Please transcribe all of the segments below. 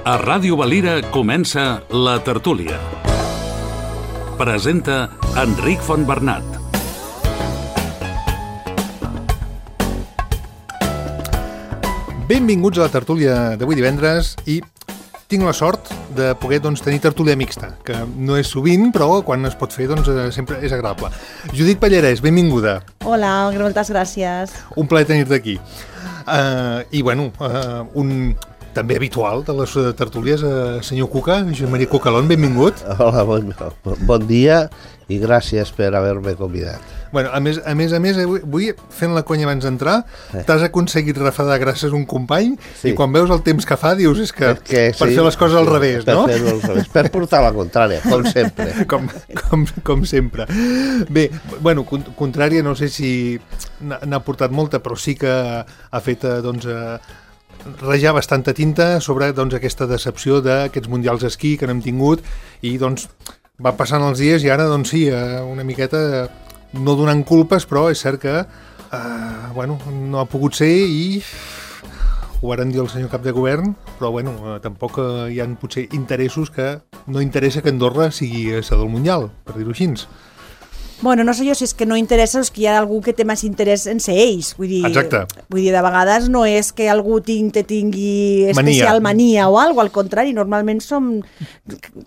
A Ràdio Valira comença La Tertúlia. Presenta Enric Fontbernat. Benvinguts a la tertúlia d'avui divendres i tinc la sort de poder tenir tertúlia mixta, que no és sovint, però quan es pot fer sempre és agradable. Judit Pallarès, benvinguda. Hola, moltes gràcies. Un plaer tenir-te aquí. I bueno, un també habitual de les tertúlies, senyor Cuca, Josep Maria Cucalón, benvingut. Hola, bon dia i gràcies per haver-me convidat. Bueno, a més, avui, fent la conya abans d'entrar, t'has aconseguit refredar gràcies a un company i quan veus el temps que fa dius és que per fer les coses al revés, no? Per fer-ho al revés, per portar la contrària, com sempre. Com sempre. Bé, bueno, contrària no sé si n'ha portat molta, però sí que ha fet, rajar bastanta tinta sobre aquesta decepció d'aquests mundials d'esquí que n'hem tingut i va passant els dies i ara sí, una miqueta no donant culpes, però és cert que no ha pogut ser i ho varen dir el senyor cap de govern, però tampoc hi ha potser interessos que no interessa que Andorra sigui seu del Mundial, per dir-ho així. Bueno, no sé jo si és que no interessa o és que hi ha algú que té més interès en ser ells. Exacte. Vull dir, de vegades no és que algú tingui especial mania o alguna cosa, al contrari, normalment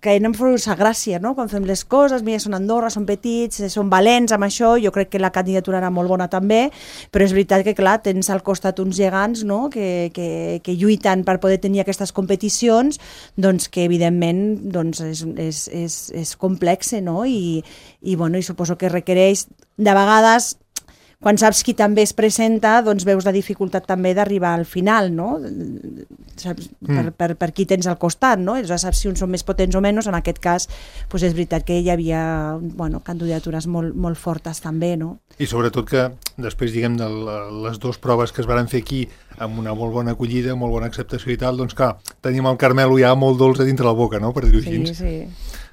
caiem en força gràcia, no? Quan fem les coses, mira, són Andorra, són petits, són valents amb això, jo crec que la candidatura era molt bona també, però és veritat que, clar, tens al costat uns gegants, no?, que lluiten per poder tenir aquestes competicions, que evidentment és complex, no? I suposo que requereix, de vegades, quan saps qui també es presenta, veus la dificultat també d'arribar al final, no? Saps, per qui tens al costat, no? Ja saps si uns són més potents o menys, en aquest cas és veritat que hi havia candidatures molt fortes també, no? I sobretot que després, diguem, de les dues proves que es van fer aquí amb una molt bona acollida, molt bona acceptació i tal, clar, tenim el Carmelo ja molt dolç a dintre la boca, no?, per dir-ho així. Sí.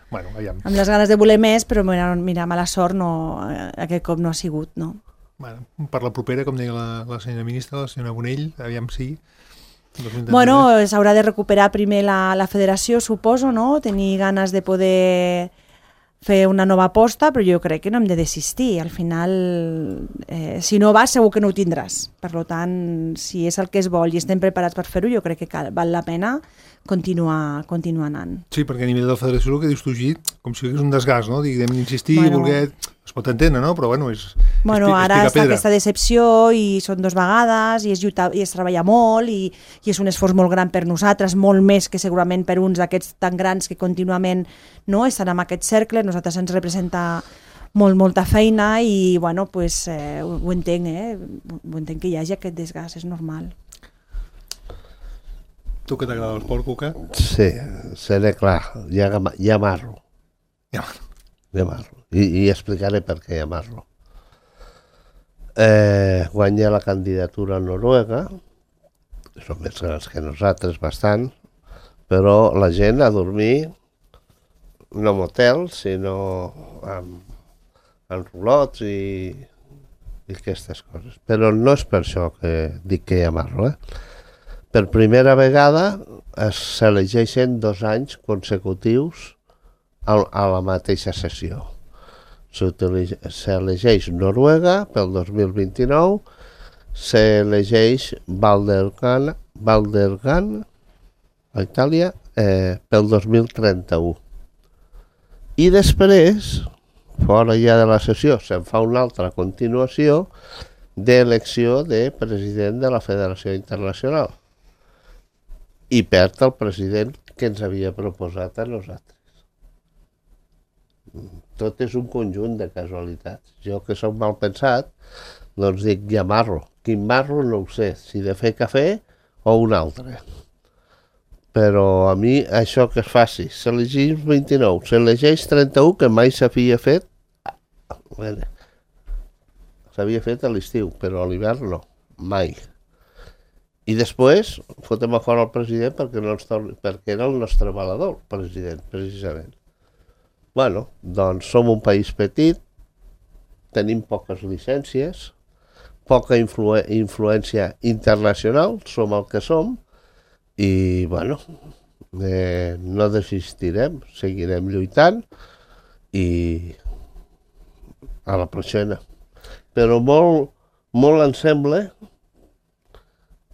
Bueno, amb les ganes de voler més, però mira, mala sort aquest cop no ha sigut, no? Bueno, per la propera, com deia la senyora ministra, la senyora Bonell, aviam si... Bueno, s'haurà de recuperar primer la federació, suposo, no? Tenir ganes de poder fer una nova aposta, però jo crec que no hem de desistir. Al final, si no vas, segur que no ho tindràs. Per tant, si és el que es vol i estem preparats per fer-ho, jo crec que val la pena continuar anant. Sí, perquè a nivell de la federació el que dius tu, Git, com si és un desgast, no? Diguem, insistir, voler... Es pot entendre, no? Però és ara està aquesta decepció i són 2 vegades i es treballa molt i és un esforç molt gran per nosaltres, molt més que segurament per uns d'aquests tan grans que contínuament estan en aquest cercle. Nosaltres ens representa molta feina i ho entenc, ho entenc que hi hagi aquest desgast, és normal. Tu que t'agrada l'esport, Cuca? Sí, seré clar, ja amarro. I explicaré per què amarro. Guanya la candidatura a Noruega, són més grans que nosaltres, bastant, però la gent a dormir no en hotels, sinó en roulots i aquestes coses. Però no és per això que dic que amarro, Per primera vegada s'elegeixen 2 anys consecutius a la mateixa sessió. S'elegeix Noruega pel 2029, s'elegeix Valdergan a Itàlia pel 2031. I després, fora ja de la sessió, se'n fa una altra continuació d'elecció de president de la Federació Internacional. I perd el president que ens havia proposat a nosaltres. Tot és un conjunt de casualitats. Jo, que soc mal pensat, dic, ja marro. Quin marro no ho sé, si de fer cafè o un altre. Però a mi això que es faci, s'elegeix 29, s'elegeix 31, que mai s'havia fet, s'havia fet a l'estiu, però a l'hivern no, mai. I després fotem a fora el president perquè era el nostre valedor, president, precisament. Som un país petit, tenim poques llicències, poca influència internacional, som el que som, i, no desistirem, seguirem lluitant i a la pròxima. Però molt em sembla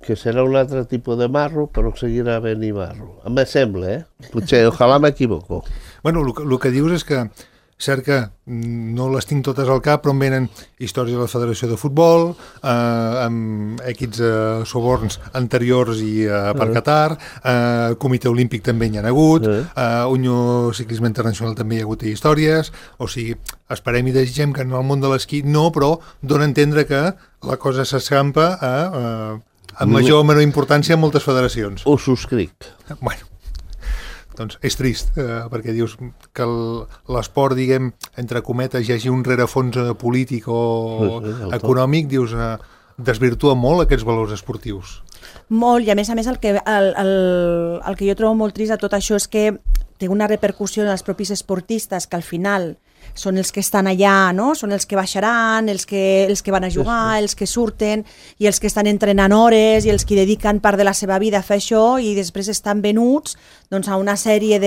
que serà un altre tipus de marro, però seguirà havent-hi marro. Em sembla, Potser, ojalà m'equivoco. Bueno, el que dius és que, cert que no les tinc totes al cap, però em venen històries de la Federació de Futbol, amb equips suborns anteriors i per Qatar, Comitè Olímpic també hi ha hagut, Unió Ciclisme Internacional també hi ha hagut històries, o sigui, esperem i desitgem que en el món de l'esquí no, però dona a entendre que la cosa s'escampa amb major o menor importància en moltes federacions. Ho subscric. Bueno, doncs és trist, perquè dius que l'esport, diguem, entre cometes, hi hagi un rerefons polític o econòmic, dius, desvirtua molt aquests valors esportius. Molt, i a més el que jo trobo molt trist de tot això és que té una repercussió en els propis esportistes, que al final són els que estan allà, no? Són els que baixaran, els que van a jugar, els que surten i els que estan entrenant hores i els que dediquen part de la seva vida a fer això i després estan venuts doncs, a una sèrie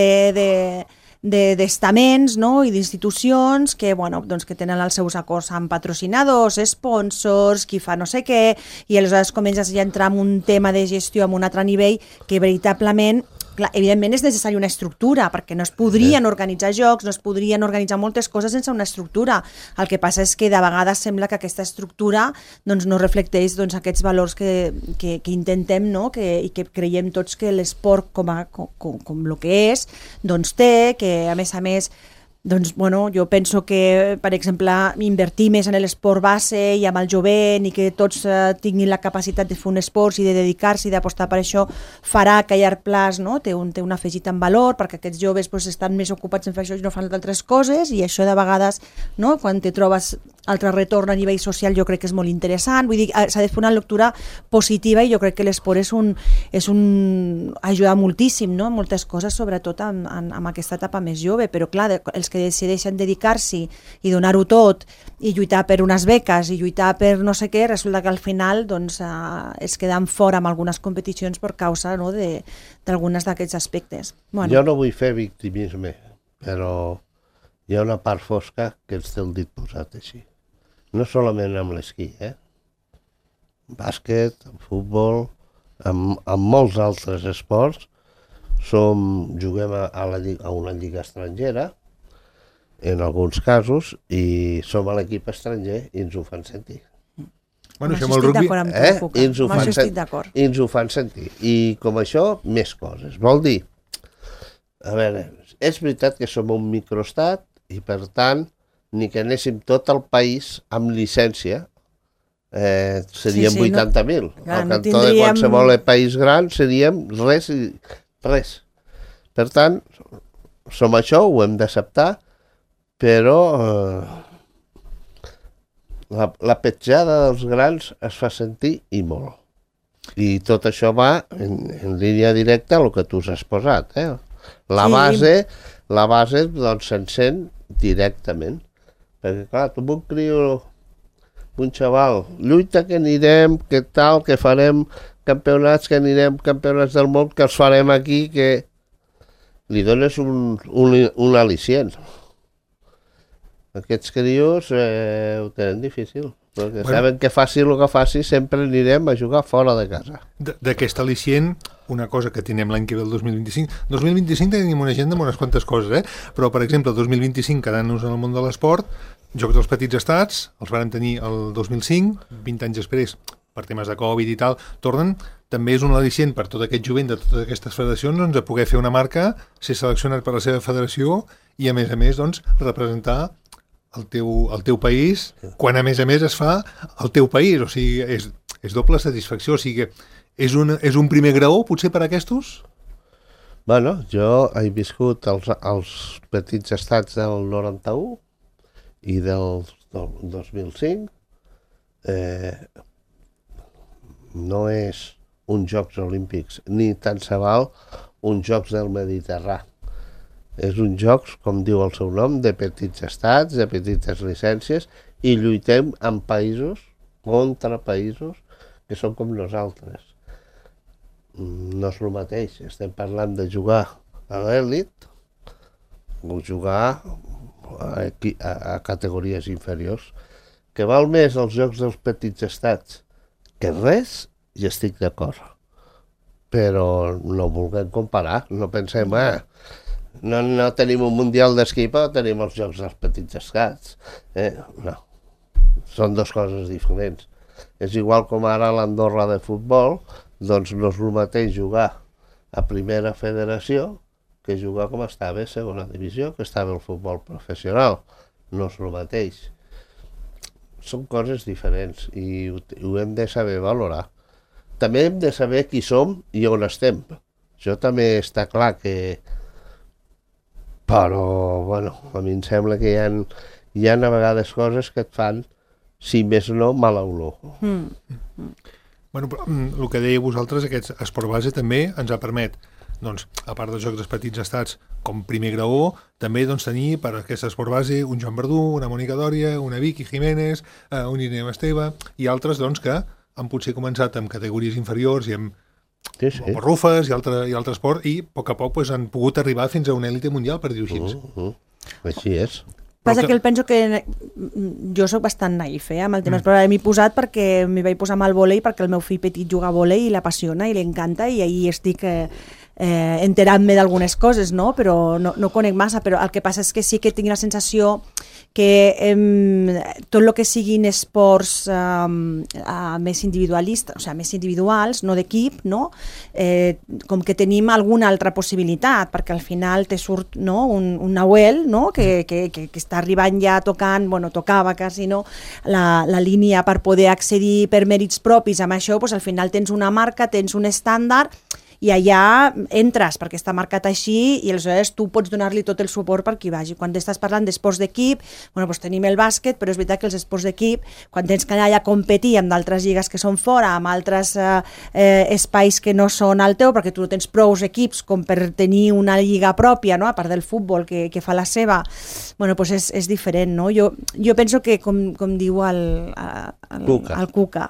d'estaments, no? I d'institucions que, bueno, doncs, que tenen els seus acords amb patrocinadors, sponsors, qui fa no sé què, i aleshores comences ja a entrar en un tema de gestió amb un altre nivell que veritablement, clar, evidentment és necessària una estructura, perquè no es podrien organitzar jocs, no es podrien organitzar moltes coses sense una estructura. El que passa és que de vegades sembla que aquesta estructura doncs, no reflecteix doncs, aquests valors que intentem, no? I que creiem tots que l'esport com el que és, doncs té, que a més doncs, bueno, jo penso que, per exemple, invertir més en l'esport base i amb el jovent i que tots tinguin la capacitat de fer un esport i de dedicar-s'hi i d'apostar per això farà que a llarg plaç, no? té un afegit en valor perquè aquests joves doncs, estan més ocupats en fer això i no fan altres coses i això de vegades, no? Quan te trobes altre retorn a nivell social jo crec que és molt interessant, vull dir, s'ha de fer una lectura positiva i jo crec que l'esport ajuda moltíssim, no? Moltes coses, sobretot en aquesta etapa més jove, però clar, els que decideixen dedicar-s'hi i donar-ho tot i lluitar per unes beques i lluitar per no sé què, resulta que al final doncs, es queden fora en algunes competicions per causa, no? d'algunes d'aquests aspectes. Bueno. Jo no vull fer victimisme, però hi ha una part fosca que ens té el dit posat així. No solament amb l'esquí, bàsquet, futbol, amb molts altres esports, juguem a una lliga estrangera, en alguns casos, i som a l'equip estranger i ens ho fan sentir. Bueno, això amb el rugby... I ens ho fan sentir. I com això, més coses. Vol dir, a veure, és veritat que som un microestat i per tant, ni que anéssim tot el país amb llicència, seríem 80.000. Al cantó de qualsevol país gran seríem res. Per tant, som això, ho hem d'acceptar, però la petjada dels grans es fa sentir i molt. I tot això va en línia directa al que tu has posat. La base doncs se'n sent directament. Perquè clar, tu un criu, un xaval, lluita que anirem, que tal, que farem campionats, que anirem campionats del món, que els farem aquí, que li dones un al·licient. Aquests crios ho tenen difícil, perquè saben que faci el que faci, sempre anirem a jugar fora de casa. D'aquest al·licient, una cosa que tenim l'any que ve el 2025. 2025 tenim una agenda amb unes quantes coses, però per exemple el 2025, quedant-nos en el món de l'esport, Jocs dels Petits Estats, els vàrem tenir el 2005, 20 anys després, per temes de Covid i tal, tornen, també és un al·licient per tot aquest jovent de totes aquestes federacions doncs, a poder fer una marca, ser seleccionat per la seva federació i a més, doncs, representar el teu país, quan a més es fa el teu país, o sigui, és doble satisfacció, o sigui, és un primer graó, potser, per a aquestos? Bueno, jo he viscut els petits estats del 91 i del 2005. No és uns Jocs Olímpics, ni tant se val uns Jocs del Mediterrani. És un jocs, com diu el seu nom, de petits estats, de petites llicències, i lluitem amb països, contra països, que són com nosaltres. no és el mateix. Estem parlant de jugar a l'elit o jugar a categories inferiors. Que val més els jocs dels petits estats que res, i estic d'acord. Però no vulguem comparar, no pensem, no tenim un mundial d'esquí, però tenim els jocs dels petits estats. No, són dues coses diferents. És igual com ara l'Andorra de futbol, doncs no és el mateix jugar a primera federació que jugar com estava a segona divisió, que estava el futbol professional. No és el mateix. Són coses diferents i ho hem de saber valorar. També hem de saber qui som i on estem. Això també està clar que... Però, bueno, a mi em sembla que hi ha a vegades coses que et fan, si més no, mala olor. Bueno, però, el que dèieu vosaltres, aquest esport base també ens ha permet, doncs, a part dels jocs dels petits estats com primer graó, també doncs, tenir per aquest esport base un Joan Verdú, una Mònica Dòria, una Vicky Jiménez, un Irene Esteve i altres doncs, que han potser començat amb categories inferiors i amb Rufes i altre esport i a poc pues, han pogut arribar fins a una èlite mundial, per dir-ho així. Així és. Passa que penso que jo sóc bastant naïf amb el tema, però m'he posat perquè m'hi vaig posar amb el vòlei perquè el meu fill petit juga a vòlei i l'apassiona i li encanta i ahir estic enterant-me d'algunes coses, no? Però no conec massa, però el que passa és que sí que tinc la sensació que tot el que siguin esports més individualistes, o sigui, més individuals, no d'equip, no? Com que tenim alguna altra possibilitat, perquè al final te surt un Nahuel, no? Que està arribant ja tocant, bueno, tocava quasi, no? La línia per poder accedir per mèrits propis amb això, doncs al final tens una marca, tens un estàndard, i allà entres perquè està marcat així i aleshores tu pots donar-li tot el suport perquè hi vagi. Quan estàs parlant d'esports d'equip, bueno, doncs tenim el bàsquet, però és veritat que els esports d'equip, quan tens que anar allà a competir amb d'altres lligues que són fora, amb altres espais que no són al teu, perquè tu no tens prous equips com per tenir una lliga pròpia, no? A part del futbol que fa la seva, bueno, doncs és diferent, no? Jo penso que, com diu el Cuca,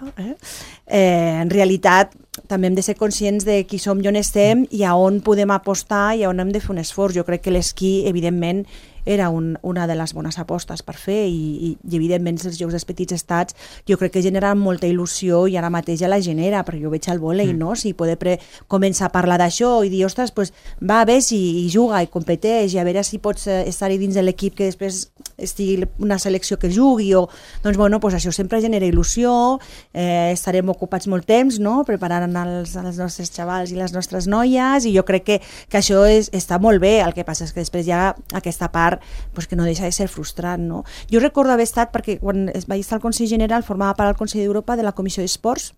en realitat també hem de ser conscients de qui som i on estem i a on podem apostar i a on hem de fer un esforç. Jo crec que l'esquí, evidentment, era una de les bones apostes per fer i evidentment els Jocs dels Petits Estats jo crec que generen molta il·lusió i ara mateix ja la genera, perquè jo veig el vòlei, no? Si poder començar a parlar d'això i dir, ostres, pues, va, ves i juga i competeix i a veure si pots estar-hi dins de l'equip que després estigui una selecció que jugui o... Doncs, bueno, pues això sempre genera il·lusió, estarem ocupats molt temps, no? Preparant els nostres xavals i les nostres noies i jo crec que això està molt bé, el que passa és que després hi ha aquesta part pues que no deixa de ser frustrant, no? Jo recordo haver estat, perquè quan vaig estar al Consell General formava part del Consell d'Europa de la Comissió d'Esports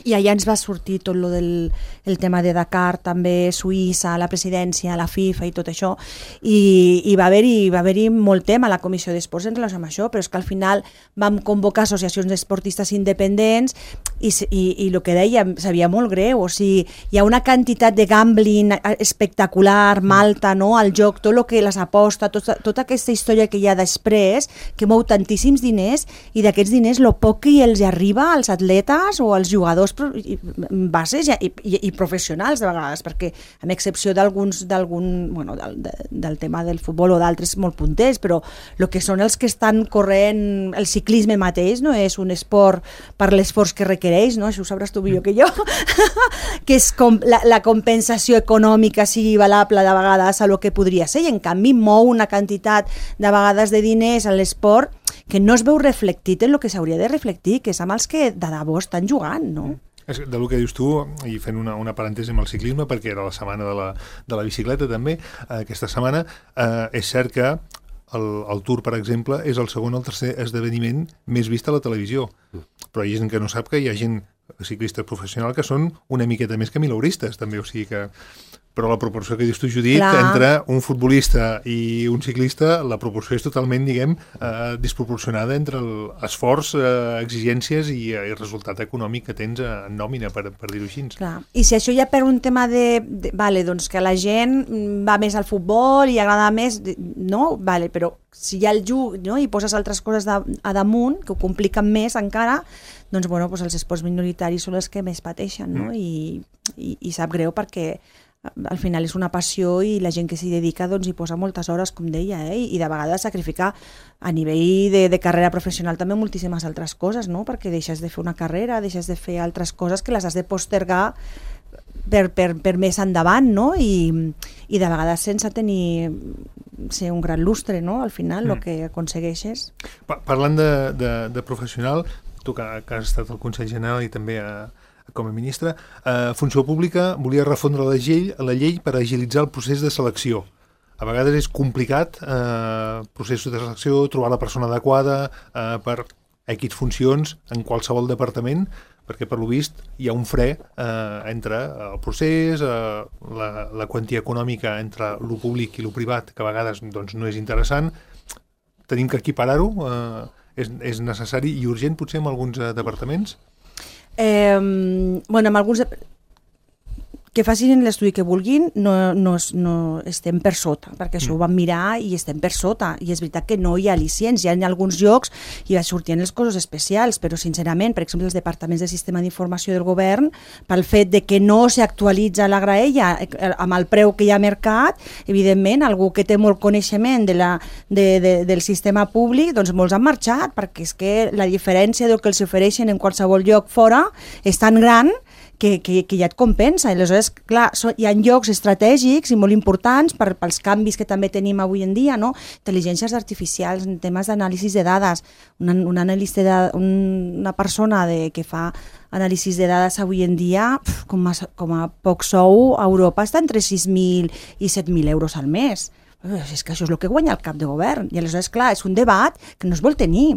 i allà ens va sortir tot lo del tema de Dakar, també Suïssa, la presidència, la FIFA i tot això i va haver-hi molt tema a la Comissió d'Esports en relació amb això, però és que al final vam convocar associacions d'esportistes independents i el que dèiem sabia molt greu, o sigui, hi ha una quantitat de gambling espectacular, Malta, no? El joc, tot el que les aposta, tota aquesta història que hi ha després, que mou tantíssims diners i d'aquests diners el poc que els arriba als atletes o als jugadors bases i professionals de vegades, perquè amb excepció bueno, del tema del futbol o d'altres molt punters, però el que són els que estan corrent el ciclisme mateix no és un esport per l'esforç que requereix, no? Això ho sabràs tu millor que jo que és com la compensació econòmica sigui valable de vegades a lo que podria ser i en canvi mou una quantitat de vegades de diners a l'esport que no es veu reflectit en el que s'hauria de reflectir, que és amb els que de debò estan jugant, no? Del que dius tu, i fent una parèntesi amb el ciclisme, perquè era la setmana de la bicicleta també, aquesta setmana, és cert que el Tour, per exemple, és el segon o el tercer esdeveniment més vist a la televisió, però hi ha gent que no sap que hi ha gent ciclistes professionals que són una miqueta més que milauristes, també, o sigui que... però la proporció que dius tu, Judit, entre un futbolista i un ciclista, la proporció és totalment, diguem, desproporcionada entre l'esforç, exigències i el resultat econòmic que tens en nòmina, per dir-ho així. Clar. I si això ja per un tema vale, doncs que la gent va més al futbol i agrada més, no? Vale, però si hi ha el juc, no? I poses altres coses a damunt, que ho compliquen més encara, doncs, bueno, doncs els esports minoritaris són els que més pateixen, no? I sap greu perquè al final és una passió i la gent que s'hi dedica doncs hi posa moltes hores, com deia, i de vegades sacrificar a nivell de carrera professional també moltíssimes altres coses, no? Perquè deixes de fer una carrera, deixes de fer altres coses que les has de postergar per més endavant, no? I de vegades sense ser un gran lustre, no? Al final, el que aconsegueixes. Parlant de professional, tu que has estat al Consell General i també com a ministre, Funció Pública volia refondre la llei per agilitzar el procés de selecció. A vegades és complicat, processos de selecció, trobar la persona adequada per X funcions en qualsevol departament, perquè per lo vist hi ha un fre entre el procés, la quantia econòmica entre lo públic i lo privat, que a vegades doncs, no és interessant. Tenim que equiparar-ho, és necessari i urgent potser en alguns departaments? Bueno, amb alguns que facin l'estudi que vulguin, no estem per sota, perquè això ho vam mirar i estem per sota, i és veritat que no hi ha al·licients, hi ha en alguns llocs i sortien les coses especials, però sincerament, per exemple, els departaments de sistema d'informació del govern, pel fet de que no s'actualitza la graella amb el preu que hi ha a mercat, evidentment, algú que té molt coneixement del sistema públic, doncs molts han marxat, perquè és que la diferència del que els ofereixen en qualsevol lloc fora és tan gran que ja et compensa. I aleshores, clar, hi ha llocs estratègics i molt importants pels canvis que també tenim avui en dia, no? Intel·ligències artificials, en temes d'anàlisis de dades. Una persona que fa anàlisis de dades avui en dia, com a poc sou, a Europa està entre 6.000 i 7.000 euros al mes. És que això és el que guanya el cap de govern. I aleshores, clar, és un debat que no es vol tenir.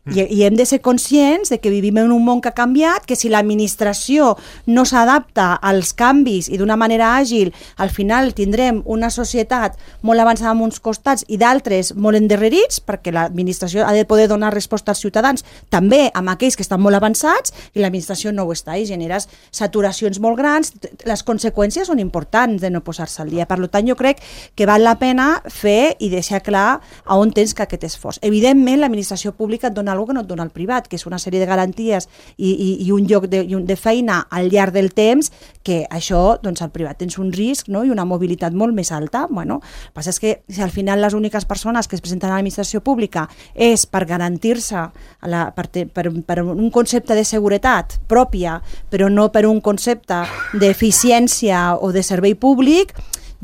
I hem de ser conscients de que vivim en un món que ha canviat, que si l'administració no s'adapta als canvis i d'una manera àgil, al final tindrem una societat molt avançada en uns costats i d'altres molt endarrerits, perquè l'administració ha de poder donar resposta als ciutadans, també amb aquells que estan molt avançats, i l'administració no ho està, i generes saturacions molt grans. Les conseqüències són importants de no posar-se al dia. Per tant, jo crec que val la pena fer i deixar clar a on tens que aquest esforç. Evidentment, l'administració pública et dona alguna que no et dona el privat, que és una sèrie de garanties i un lloc de feina al llarg del temps, que això, doncs al privat tens un risc, no? I una mobilitat molt més alta. Bueno, el que passa és que si al final les úniques persones que es presenten a l'administració pública és per garantir-se per un concepte de seguretat pròpia, però no per un concepte d'eficiència o de servei públic,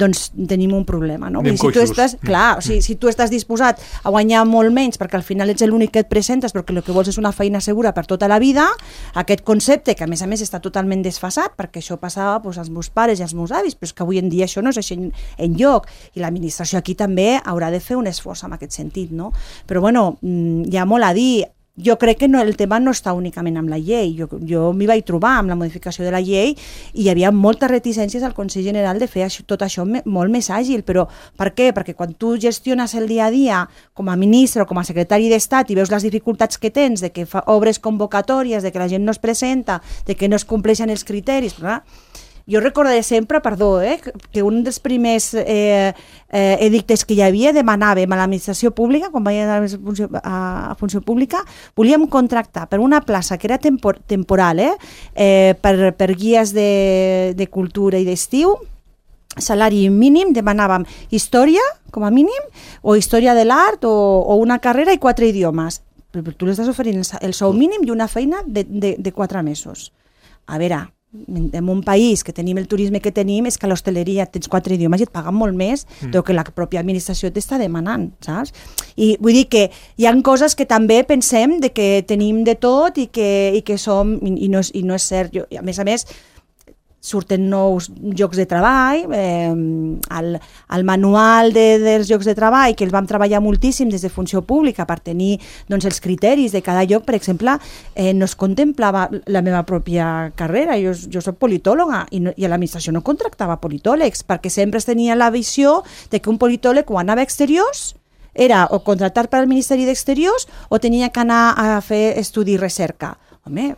doncs tenim un problema, no? Si tu estàs, clar, si tu estàs disposat a guanyar molt menys perquè al final ets l'únic que et presentes perquè el que vols és una feina segura per tota la vida, aquest concepte que a més està totalment desfasat, perquè això passava als meus pares i als meus avis, però és que avui en dia això no és així enlloc, i l'administració aquí també haurà de fer un esforç en aquest sentit, no? Però bueno, hi ha molt a dir. Jo crec que el tema no està únicament amb la llei. Jo m'hi vaig trobar amb la modificació de la llei i hi havia moltes reticències al Consell General de fer tot això molt més àgil. Però per què? Perquè quan tu gestiones el dia a dia com a ministre o com a secretari d'Estat i veus les dificultats que tens, de que obres convocatòries, de que la gent no es presenta, de que no es compleixen els criteris... Jo recordaré sempre, que un dels primers edictes que hi havia demanàvem a l'administració pública, quan vaig a Funció Pública, volíem contractar per una plaça que era temporal, per guies de cultura i d'estiu, salari mínim, demanàvem història, com a mínim, o història de l'art, o una carrera i 4 idiomes. Però tu l'estàs oferint el sou mínim i una feina de 4 mesos. A veure, en un país que tenim el turisme que tenim, és que a l'hostaleria tens 4 idiomes i et paguen molt més del que la pròpia administració t'està demanant, saps? I vull dir que hi ha coses que també pensem de que tenim de tot i que som, i no és cert. A més, surten nous llocs de treball, el manual dels llocs de treball, que el vam treballar moltíssim des de funció pública per tenir doncs, els criteris de cada lloc, per exemple, no es contemplava la meva pròpia carrera, jo soc politòloga i a l'administració no contractava politòlegs, perquè sempre es tenia la visió de que un politòleg quan anava a exteriors era o contractat per al Ministeri d'Exteriors o tenia que anar a fer estudi i recerca. Home,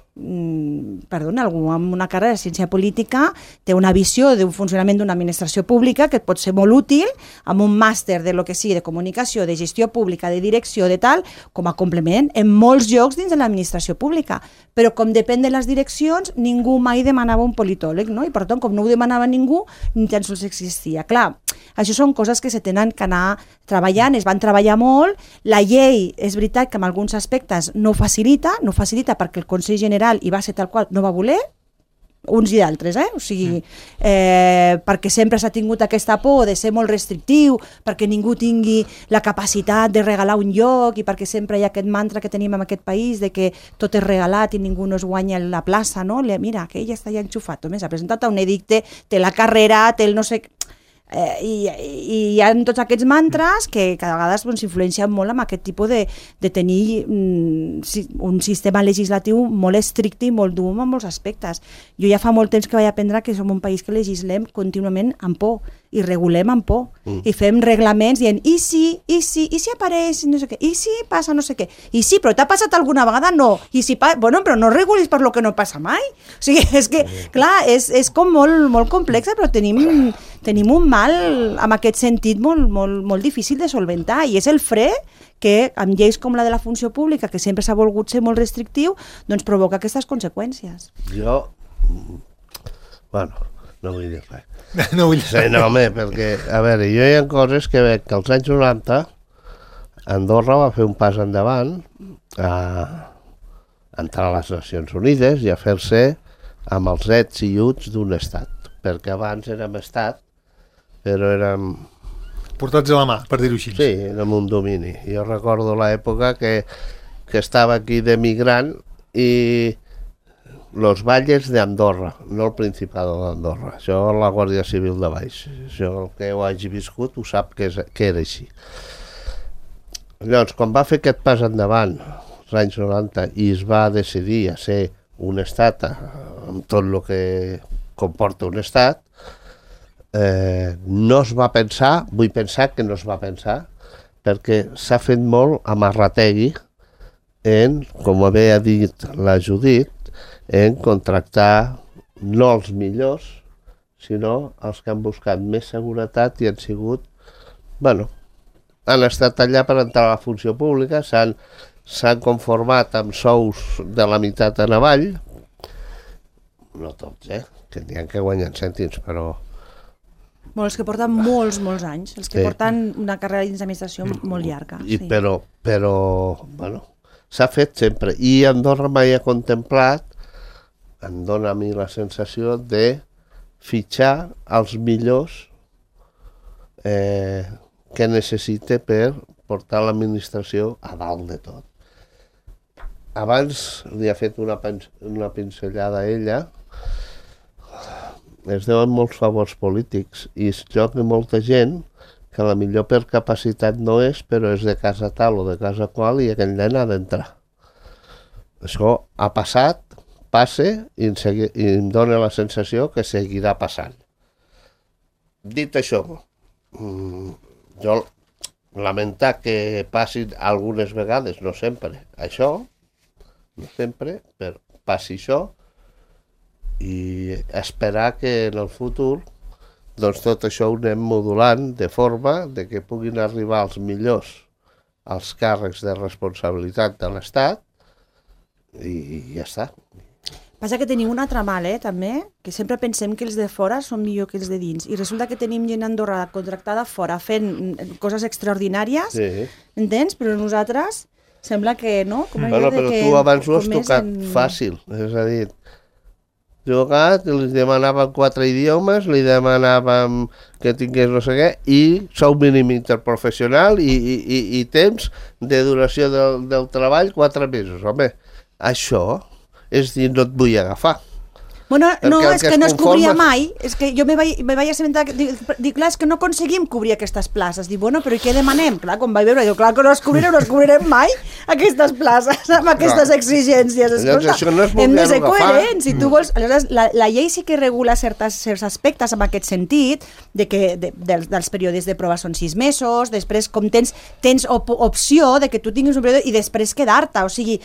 perdona, algú amb una carrera de ciència política té una visió d'un funcionament d'una administració pública que et pot ser molt útil amb un màster de lo que sigui, de comunicació, de gestió pública, de direcció, de tal, com a complement en molts llocs dins de l'administració pública. Però com depèn de les direccions, ningú mai demanava un politòleg, no? I per tant, com no ho demanava ningú, ni tan sols existia. Clar, això són coses que se tenen que anar treballant, es van treballar molt, la llei és veritat que en alguns aspectes no facilita perquè el Consell General hi va ser tal qual, no va voler, uns i d'altres, o sigui, perquè sempre s'ha tingut aquesta por de ser molt restrictiu, perquè ningú tingui la capacitat de regalar un lloc i perquè sempre hi ha aquest mantra que tenim en aquest país de que tot és regalat i ningú no es guanya la plaça, no? Mira, aquell ja està ja enxufat, s'ha presentat a un edicte, té la carrera, té el no sé... I hi ha tots aquests mantres que cada vegada s'influencien molt amb aquest tipus de tenir un sistema legislatiu molt estricte i molt dur en molts aspectes. Jo ja fa molt temps que vaig aprendre que som un país que legislem contínuament amb por i regulem amb por i fem reglaments dient i si apareix no sé què, i si passa no sé què, i sí, però t'ha passat alguna vegada? No, i si bueno, però no regulis per lo que no passa mai. O sigui, és que, clar, és com molt complexa, però tenim un mal en aquest sentit molt difícil de solventar i és el fre que amb lleis com la de la funció pública, que sempre s'ha volgut ser molt restrictiu, doncs provoca aquestes conseqüències. Jo, bueno, no vull dir res. No vull dir res. No, home, perquè, a veure, jo hi ha coses que veig que als anys 90 Andorra va fer un pas endavant a entrar a les Nacions Unides i a fer-se amb els ets i uts d'un estat, perquè abans érem estat, però érem... Portats a la mà, per dir-ho així. Sí, érem un domini. Jo recordo l'època que estava aquí d'emigrant i los valles d'Andorra, no el Principado d'Andorra. Això la Guàrdia Civil de baix. Això el que ho hagi viscut ho sap que era així. Llavors, quan va fer aquest pas endavant, als anys 90, i es va decidir a ser un estat, amb tot el que comporta un estat, no es va pensar, vull pensar que no es va pensar, perquè s'ha fet molt amarrategui en, com havia dit la Judit, en contractar no els millors, sinó els que han buscat més seguretat i han sigut, bueno, han estat allà per entrar a la funció pública, s'han conformat amb sous de la meitat en avall, no tots, que n'hi ha que guanyen cèntims, però... Bueno, els que porten molts anys, els que porten una carrera dins d'administració molt llarga. Sí. Però, bueno, s'ha fet sempre. I Andorra mai ha contemplat, em dona a mi la sensació de fitxar els millors que necessita per portar l'administració a dalt de tot. Abans li ha fet una pinzellada a ella. Es deuen molts favors polítics i es lloga molta gent que la millor per capacitat no és, però és de casa tal o de casa qual i aquell nen ha d'entrar. Això ha passat, passa i em dóna la sensació que seguirà passant. Dit això, jo lamentar que passin algunes vegades, no sempre, això, no sempre, però passi això, i esperar que en el futur doncs tot això ho anem modulant de forma de que puguin arribar els millors als càrrecs de responsabilitat de l'Estat i ja està. Passa que tenim un altre mal, també, que sempre pensem que els de fora són millor que els de dins i resulta que tenim gent a Andorra contractada fora fent coses extraordinàries, entens? Però nosaltres sembla que no. Però tu abans ho has tocat fàcil, és a dir, jugat, li demanàvem 4 idiomes, li demanàvem que tingués no sé què, i sou mínim interprofessional i temps de duració del treball 4 mesos. Home, això és dir, no et vull agafar. Bueno, no, és que no es cobria mai. És que jo me vaig assabentar, dic, clar, és que no aconseguim cobrir aquestes places. Dic, bueno, però i què demanem? Clar, quan vaig veure, dic, clar que no es cobrirem mai aquestes places amb aquestes exigències. Escolta, hem de ser coherents. Si tu vols... Aleshores, la llei sí que regula certs aspectes en aquest sentit, dels períodes de prova són 6 mesos, després com tens opció de que tu tinguis un període i després quedar-te, o sigui,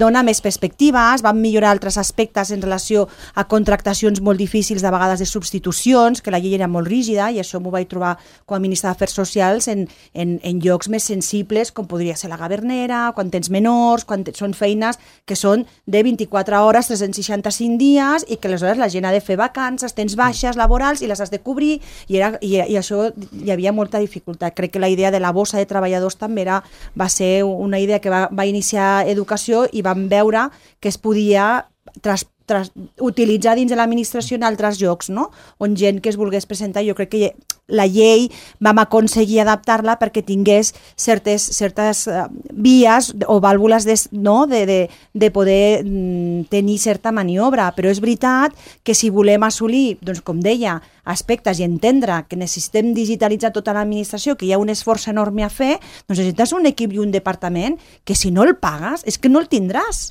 dona més perspectives, van millorar altres aspectes en relació a contractacions molt difícils, de vegades de substitucions, que la llei era molt rígida, i això m'ho vaig trobar com a ministre d'Afers Socials en llocs més sensibles, com podria ser la Gavernera, quan tens menors, quan són feines que són de 24 hores, 365 dies, i que aleshores la gent ha de fer vacances, tens baixes laborals i les has de cobrir, i això hi havia molta dificultat. Crec que la idea de la bossa de treballadors també va ser una idea que va iniciar Educació, i vam veure que es podia utilitzar dins de l'administració en altres llocs, no? On gent que es volgués presentar, jo crec que la llei vam aconseguir adaptar-la perquè tingués certes vies o vàlvules de poder tenir certa maniobra, però és veritat que si volem assolir, doncs com deia, aspectes i entendre que necessitem digitalitzar tota l'administració, que hi ha un esforç enorme a fer, doncs necessites un equip i un departament que si no el pagues és que no el tindràs.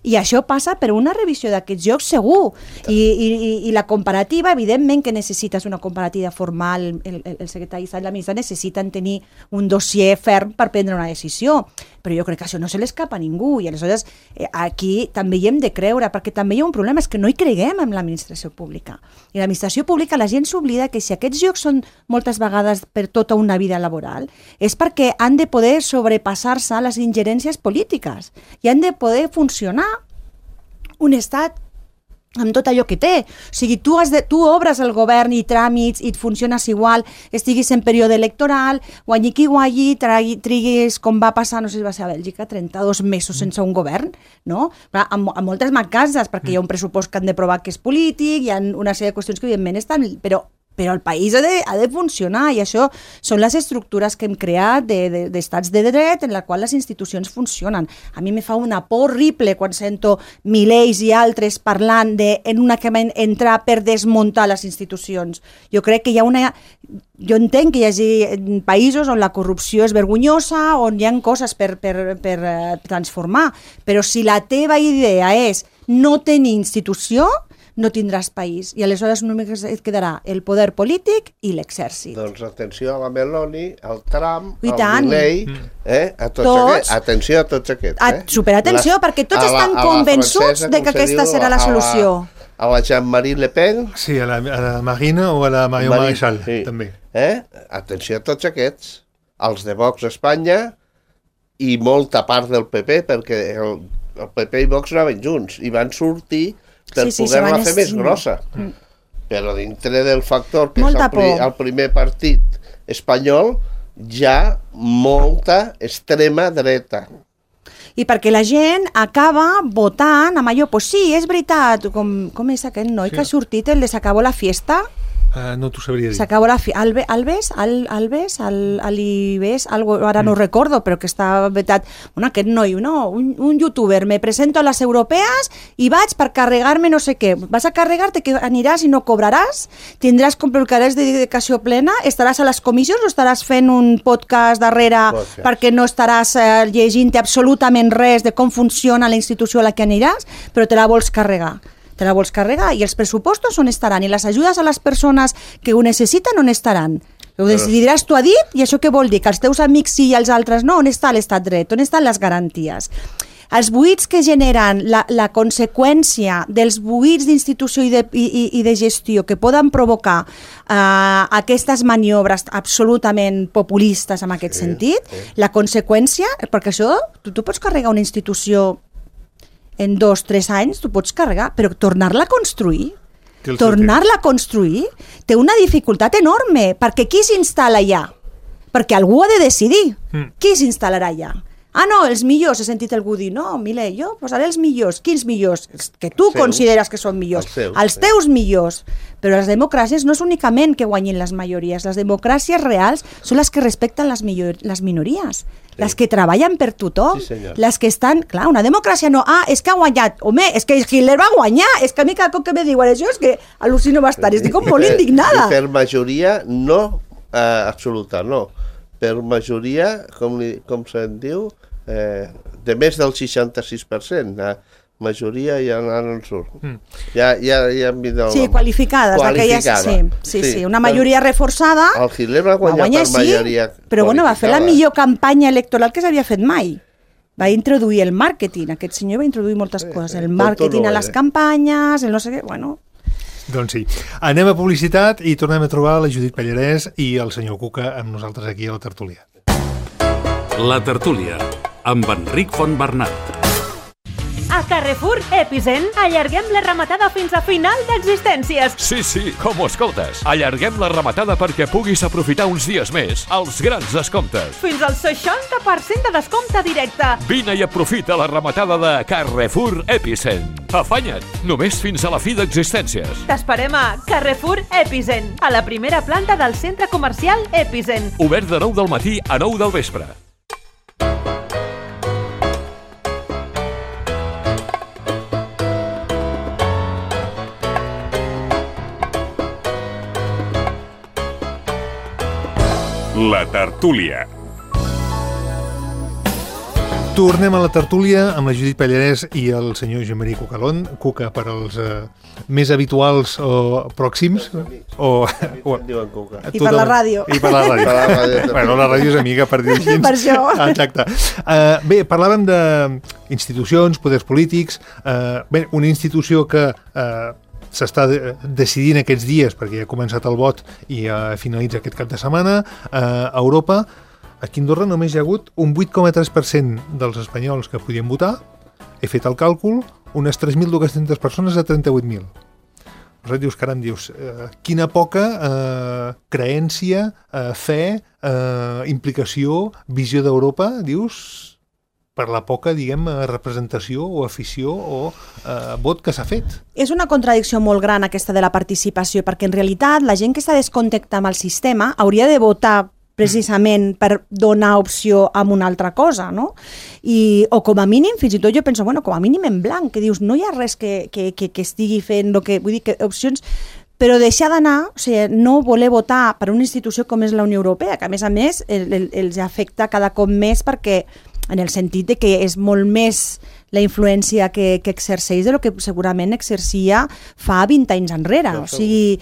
I això passa per una revisió d'aquests jocs segur, i la comparativa, evidentment que necessites una comparativa formal, el secretari d'Estat i la ministra necessiten tenir un dossier ferm per prendre una decisió, però jo crec que això no se l'escapa a ningú, i aleshores aquí també hi hem de creure, perquè també hi ha un problema, és que no hi creguem en l'administració pública, i l'administració pública la gent s'oblida que si aquests jocs són moltes vegades per tota una vida laboral, és perquè han de poder sobrepassar-se a les ingerències polítiques, i han de poder funcionar un estat amb tot allò que té. O sigui, tu obres el govern i tràmits i et funciones igual, estiguis en període electoral, guanyi qui guanyi, triguis, com va passar, no sé si va ser a Bèlgica, 32 mesos sense un govern, no? Amb moltes mancances, perquè hi ha un pressupost que han de provar que és polític, hi ha una sèrie de qüestions que evidentment estan... Però el país ha de funcionar, i això són les estructures que hem creat d'estats de dret en la qual les institucions funcionen. A mi me fa una por horrible quan sento Milei i altres parlant en un acabament entrar per desmuntar les institucions. Jo crec que hi ha jo entenc que hi hagi països on la corrupció és vergonyosa, on hi ha coses per transformar, però si la teva idea és no tenir institució, no tindràs país, i aleshores només et quedarà el poder polític i l'exèrcit. Doncs atenció a la Meloni, al Trump, al Milei, a tots aquests. Atenció a tots aquests. Superatenció, perquè tots estan convençuts de que aquesta serà la solució. A la Jean-Marie Le Pen. Sí, a la Marine o a la Marion Maréchal, també. Atenció a tots aquests. Els de Vox a Espanya i molta part del PP, perquè el PP i Vox anaven junts i van sortir per poder-la fer més grossa. Però dintre del factor que és el primer partit espanyol, hi ha molta extrema dreta. I perquè la gent acaba votant amb allò, pues sí, és veritat, com és aquest noi que ha sortit, el de s'acabó la fiesta? No t'ho sabria dir. S'acabó la fiesta. Alves, ara no ho recordo, però que està vetat. Bueno, aquest noi, un youtuber, me presento a les europees i vaig per carregar-me no sé què. Vas a carregar-te, que aniràs i no cobraràs? Tindràs complicaràs de dedicació plena? Estaràs a les comissions o estaràs fent un podcast darrere perquè no estaràs llegint absolutament res de com funciona la institució a la que aniràs, però te la vols carregar? I els pressupostos on estaran, i les ajudes a les persones que ho necessiten on estaran. Ho decidiràs tu a dit, i això què vol dir? Que els teus amics sí i els altres no? On està l'estat dret? On estan les garanties? Els buits que generen la conseqüència dels buits d'institució i de gestió que poden provocar aquestes maniobres absolutament populistes en aquest sentit, la conseqüència, perquè això, tu pots carregar una institució en 2-3 anys, tu pots carregar, però tornar-la a construir té una dificultat enorme, perquè qui s'instal·la allà? Perquè algú ha de decidir qui s'instal·larà allà. no, els millors, he sentit algú dir, no, Milei, jo posaré els millors. Quins millors? Els que tu consideres que són millors. Els teus millors. Però les democràcies no és únicament que guanyin les majories. Les democràcies reals són les que respecten les minories. Les que treballen per tothom. Les que estan... Clar, una democràcia no... és que ha guanyat. Home, és que Hitler va guanyar. És que a mi cada cop que me diuen això és que al·lucino bastant. Estic com molt indignada. I per majoria no absoluta, no. Per majoria, com se'n diu, de més del 66%, majoria ja no en surt. Ja han vist el... Sí, qualificades. Sí, una majoria reforçada. El Hitler va guanyar per majoria. Però bueno, va fer la millor campanya electoral que s'havia fet mai. Va introduir el màrqueting, aquest senyor va introduir moltes coses, el màrqueting a les campanyes, el no sé què, bueno... Doncs sí. Anem a publicitat i tornem a trobar la Judit Pallarès i el senyor Cuca amb nosaltres aquí a la tertúlia. La tertúlia, amb Enric Fontbernat. A Carrefour Epicent allarguem la rematada fins a final d'existències. Sí, com ho escoltes. Allarguem la rematada perquè puguis aprofitar uns dies més els grans descomptes. Fins al 60% de descompte directe. Vine i aprofita la rematada de Carrefour Epicent. Afanya't, només fins a la fi d'existències. T'esperem a Carrefour Epicent, a la primera planta del centre comercial Epicent. Obert de 9 del matí a 9 del vespre. La tertúlia. Tornem a la tertúlia amb la Judit Pallarès i el senyor Jean-Marie Cucalón. Cuca per als més habituals o pròxims. I per la ràdio. I per la ràdio. Bueno, la ràdio és amiga, per dir-ho així. Per això. Exacte. Bé, parlàvem d'institucions, poders polítics. Bé, una institució que s'està decidint aquests dies, perquè ja ha començat el vot i finalitza aquest cap de setmana, a Europa. Aquí a Andorra només hi ha hagut un 8,3% dels espanyols que podien votar. He fet el càlcul, unes 3.200 persones a 38.000. Aleshores dius, caram, quina poca creència, fe, implicació, visió d'Europa, dius, per la poca, representació o afició o vot que s'ha fet. És una contradicció molt gran aquesta de la participació, perquè en realitat la gent que està descontactada amb el sistema hauria de votar precisament per donar opció a una altra cosa, no? O com a mínim, fins i tot jo penso, com a mínim en blanc, que dius, no hi ha res que estigui fent, vull dir que opcions... Però deixar d'anar, o sigui, no voler votar per una institució com és la Unió Europea, que a més els afecta cada cop més perquè, en el sentit de que és molt més la influència que exerceix de lo que segurament exercia fa 20 anys enrere. O sigui,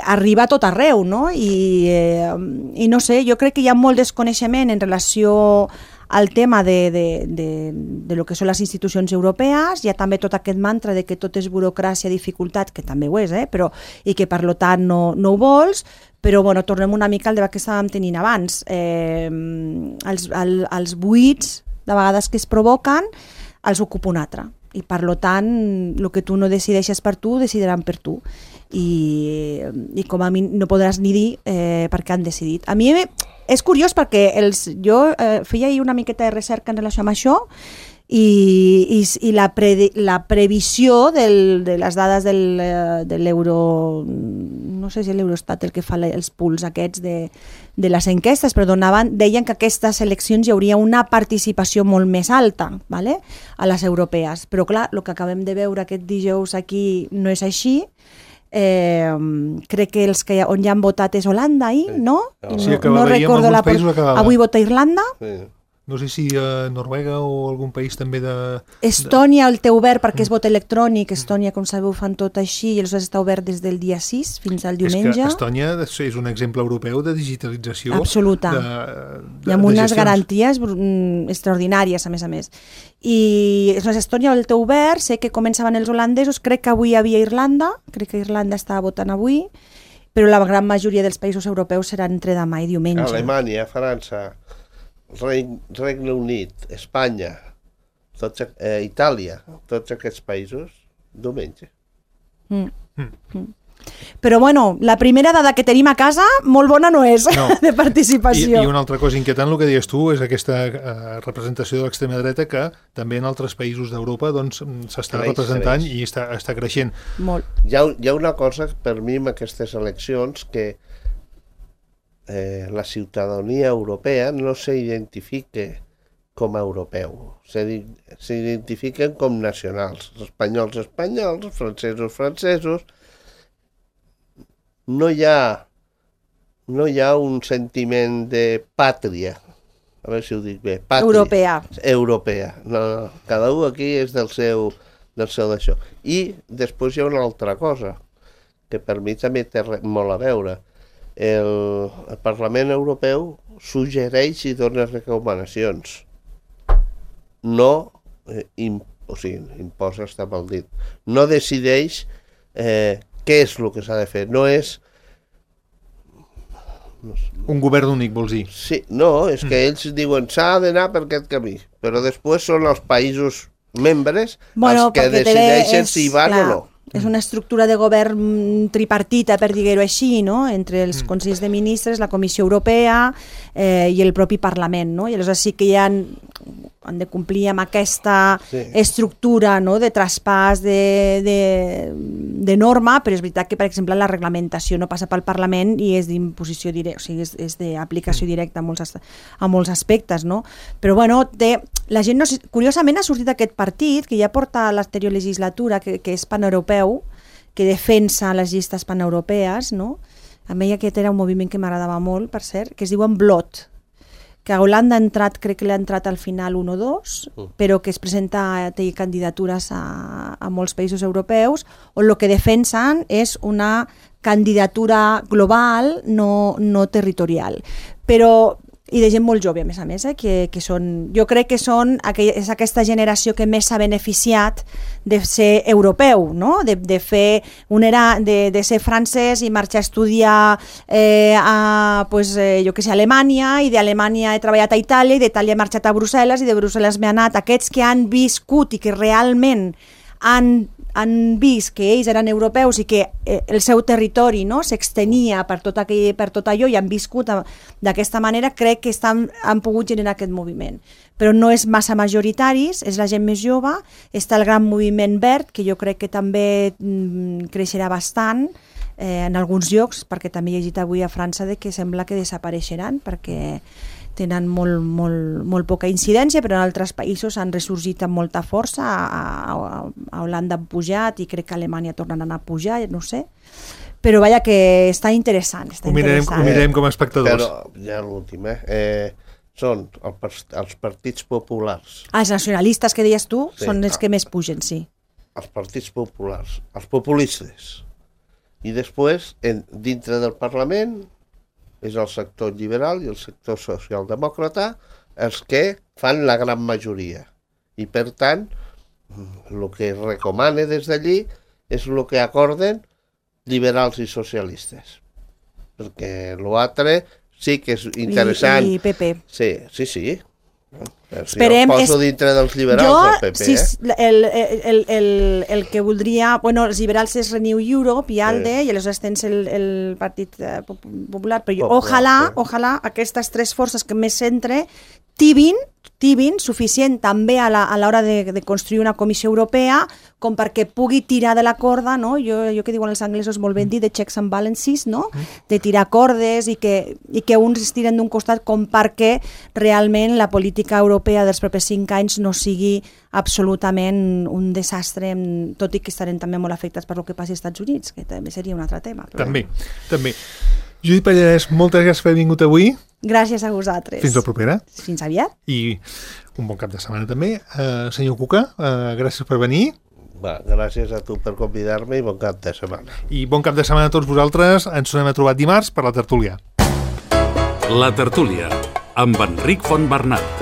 arriba a tot arreu, no? I no sé, jo crec que hi ha molt desconeixement en relació al tema de lo que són les institucions europees. Hi ha també tot aquest mantra de que tot és burocràcia, dificultat, que també ho és, però, i que per tant no ho vols, però tornem una mica al debat que estàvem tenint abans. Els buits, de vegades que es provoquen, els ocupa un altre. I per tant, el que tu no decideixes per tu, decidiran per tu. I com a mi no podràs ni dir per què han decidit. A mi és curiós perquè jo feia ahir una miqueta de recerca en relació amb això i la previsió de les dades de l'euro, no sé si l'Eurostat el que fa els punts aquests de les enquestes, però deien que aquestes eleccions hi hauria una participació molt més alta, ¿vale? A les europees. Però clar, el que acabem de veure aquest dijous aquí no és així. Crec que on ja han votat és Holanda, no? Sí, no recordo avui vota Irlanda. No sé si Noruega o algun país també de... Estònia el té obert perquè és vot electrònic. Estònia, com sabeu, fan tot així i aleshores està obert des del dia 6 fins al diumenge. És que Estònia és un exemple europeu de digitalització absoluta. I amb unes garanties extraordinàries, a més. I Estònia el té obert, sé que començaven els holandesos, crec que avui hi havia Irlanda, crec que Irlanda estava votant avui, però la gran majoria dels països europeus seran entre demà i diumenge. Alemanya, França, Regne Unit, Espanya, Itàlia, tots aquests països, diumenge. Però bueno, la primera dada que tenim a casa molt bona no és, de participació. I una altra cosa inquietant, el que deies tu, és aquesta representació de l'extrema dreta que també en altres països d'Europa doncs, s'està representant i està creixent. Molt. Hi ha una cosa per mi en aquestes eleccions que la ciutadania europea no s'identifica com a europeu, s'identifiquen com nacionals, espanyols, francesos. No hi ha un sentiment de pàtria, a veure si ho dic bé, pàtria. Europea. No, cada un aquí és del seu d'això. I després hi ha una altra cosa, que per mi també té molt a veure. El Parlament Europeu suggereix i dona recomanacions. No, imposa està mal dit, no decideix què és el que s'ha de fer, no és... Un govern únic, vols dir? Sí, no, és que ells diuen s'ha d'anar per aquest camí, però després són els països membres els que decideixen si van o no. És una estructura de govern tripartita, per dir-ho així, no? Entre els Consells de Ministres, la Comissió Europea i el propi Parlament, no? I aleshores sí que han de complir amb aquesta estructura, no? De traspàs de norma, però és veritat que, per exemple, la reglamentació no passa pel Parlament i és d'imposició directa, o sigui, és d'aplicació directa a molts aspectes, no? Però, bueno, la gent, curiosament, ha sortit aquest partit, que ja porta a l'anterior legislatura, que és paneuropeu, que defensa les llistes paneuropees, no? A mi aquest era un moviment que m'agradava molt, per cert, que es diuen Blot, que a Holanda crec que l'ha entrat al final 1 o 2, però que es presenta, té candidatures a molts països europeus, on el que defensen és una candidatura global, no territorial. Però i de gent molt jove, a més, que són, jo crec que és aquesta generació que més s'ha beneficiat de ser europeu, no? De fer de ser francès i marxar a estudiar a Alemanya, i d'Alemanya he treballat a Itàlia, i d'Itàlia he marxat a Brussel·les, i de Brussel·les m'he anat. Aquests que han viscut i que realment han vist que ells eren europeus i que el seu territori, no, s'extenia per tot allò i han viscut d'aquesta manera, crec que han pogut generar aquest moviment. Però no és massa majoritaris, és la gent més jove, està el gran moviment verd, que jo crec que també creixerà bastant en alguns llocs, perquè també he llegit avui a França que sembla que desapareixeran, perquè tenen molt poca incidència, però en altres països han ressorgit amb molta força. A Holanda han pujat i crec que a Alemanya tornen a anar a pujar, no sé. Però vaja, que està interessant. Ho mirarem com a espectadors. Però ja l'últim, són els partits populars. Els nacionalistes que deies tu són els que més pugen, sí. Els partits populars, els populistes. I després, dintre del Parlament, és el sector liberal i el sector socialdemòcrata els que fan la gran majoria. I, per tant, el que es recomana des d'allí és el que acorden liberals i socialistes. Perquè l'altre sí que és interessant. I PP. Sí. Esperem, jo poso dintre dels liberals del PP. El que voldria... Bueno, els liberals és Renew Europe i ALDE, i aleshores tens el Partit Popular, però ojalà aquestes tres forces que més centre tibin suficient també a l'hora de construir una comissió europea com perquè pugui tirar de la corda, no? Jo que diuen els anglesos molt ben dit, de checks and balances, no? De tirar cordes i que uns es tiren d'un costat com perquè realment la política europea dels propers 5 anys no sigui absolutament un desastre, tot i que estarem també molt afectats per el que passi als Estats Units, que també seria un altre tema. Però... També. Judit Pallarès, moltes gràcies per haver vingut avui. Gràcies a vosaltres. Fins la propera. Fins aviat. I un bon cap de setmana també. Senyor Cuca, gràcies per venir. Gràcies a tu per convidar-me i bon cap de setmana. I bon cap de setmana a tots vosaltres. Ens tornem a trobar dimarts per la tertúlia. La tertúlia, amb Enric Fontbernat.